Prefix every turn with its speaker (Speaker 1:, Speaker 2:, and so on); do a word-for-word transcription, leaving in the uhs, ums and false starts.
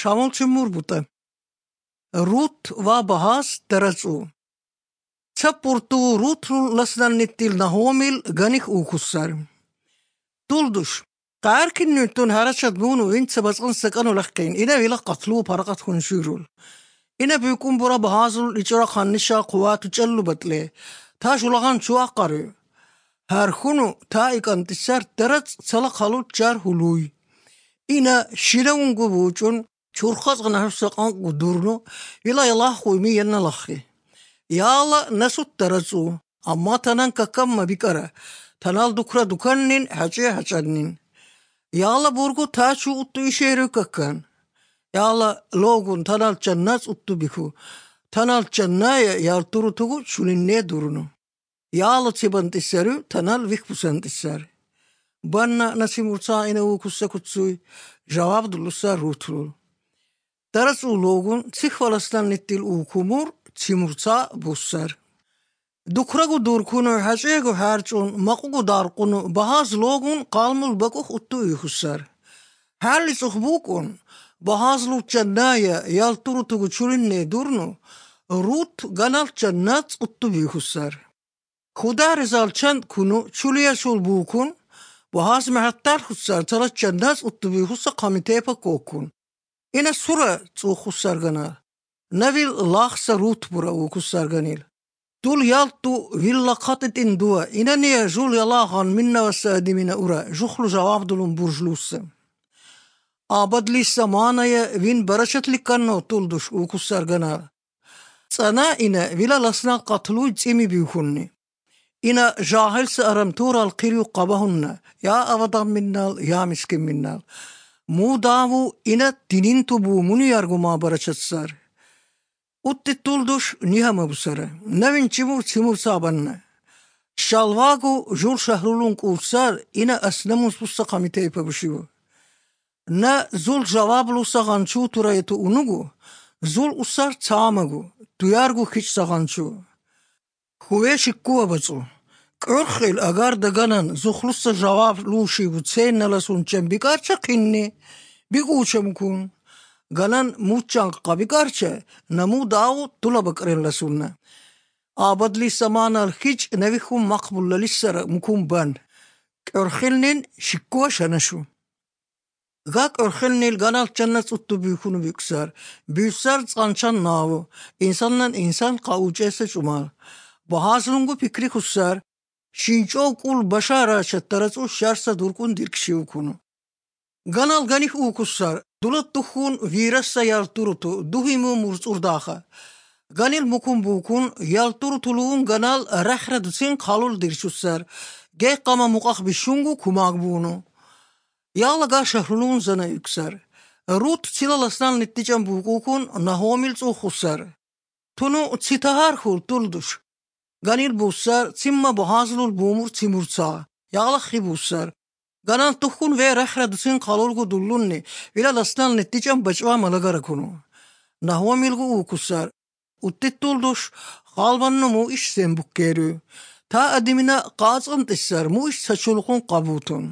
Speaker 1: Շամուլչի մուրբուտը Ռութ վա բահաս դրածու Ցապորտու ռութրու լասնաննիտիլ նահոմիլ գանիխ ուքուսար Տուլդուշ Կայարքին նույնտուն հարաչատ բունու ինցը բացան սական ուլախկին Ինը վիլա կատլու պարակատ խունշյուրուլ Ինը բյուկում բուրա բահազուլ իճորա խաննիշա խուատու ճալլու բատլե Թա շուլաղան չուա կարու Հարխունու թա իկանտիսար դրած ծալա խալու ճար հուլույ Ինը շիրը ունգու բուճուն Չուրխած գնահուսական գուդուրնու վիլա ելախ ուիմի եննա լախի Յալը նասուտ դրածու Ամմա թանան կակամ մաբիկարա Թանալ դուքրա դուքաննին հաճե հաճաննին Յալը բուրգու թաչու ուտու իշերու կական Յալը լոգուն թանալ ճաննած ուտու բիքու Թանալ ճաննայը յալտուրու թուգու չունիննե դուրնու Յալը ծիբանտիսարու թանալ վիխպուսանտիսար Բաննա նասիմուրցա ինը ուկուսա կուցույ Ժավապ դուլուսա ռութրულ Դարածու լոգուն ցիխ վալաստան նիտիլ ուկումուր Ցիմուրցա բուսար Դուքրագու դուրքունը հաճեգու հարճուն մակուգու դարկունը բահազ լոգուն կալմուլ բակուխ ուտու իխուսար Հալից ուխբուկուն բահազ լու ճաննայը յալտուրու թուգու չուրիննե դուրնու Ռութ գանալ ճաննած ուտու իխուսար Խուդար զալչան քունու չուլիա շուլ բուկուն Բահազ մահատտար խուսար ծալած ճաննած ուտու իխուսա կամիտեպը կոկուն Ինը սուրը ծուխուսար գանալ Նավիլ լախսա ռութ բուրա ուկուսար գանիլ Դուլ յալտու վիլլա խատետին դուա Ինը նիա ժուլ յալաղան միննավասա ադիմինա ուրա Ժուխլու ժավապ դուլուն բուրժլուսը Աբադլի սամանայը վին բարաշատլի կաննո տուլդուշ ուկուսար գանալ Ծանա ինը վիլա լասնան կատլույ ծիմի բիուխուննի Ինը ժահելսը արամտուր ալքիրիու qabahunna Ya avadan minnal ya miskin minnal Mu davu ina dinin tubu munu yarguma baraçatsar Utti tulduş nihama busara Nevin çimur çimur sabanna Şalvagu jul şahrulun kursar ina asnamus bussa kamite yapabışıvu Na zul javablu sagançu turayeti unugu Zul usar çamagu Duyargu hiç sagançu Хуе шиккуа бацу Кърхил агар даганан зухлуса жаваб луши вуцен наласун чембикарча кинни бигучамкун ганан мучан qabikарча наму дау тулабакрен ласунна Абадли саманал хич навихум мақбулла лиссара мукум бан Кърхилнин шиккуа шанашу Га кърхилнил ганал чаннас утту бюхуну бюксар Бюсар цанчан наву İnsanlan insan qaucese çumal Bahazlungu fikri kussar, şinço kul başara çattaratsu şarsa durkun dirkşiu kunu. Ganal ganih u kussar, dulat tuhun virassa yalturutu, duhimu mursurdaha. Ganil mukum bukun, yalturutuluğun ganal rahra dusin kalul dirçussar, gey kama mukah bişungu kumagbunu. Yağla ga şahrulun zana yüksar. Rut silalasnan nittican bukukun nahomil tsu kussar. Tunu tsitahar hul tulduş. Ganil busar simma bohazlul bumur timursa yağlaqi busar ganan tuhkun ve rahra dusin qalulgu dullunni ila lasnan netijan bachwa malagara kunu nahwa milgu ukusar uttitulduş qalbannu mu iş sembukkeru ta adimina qazım tissar mu iş saçulqun qabutun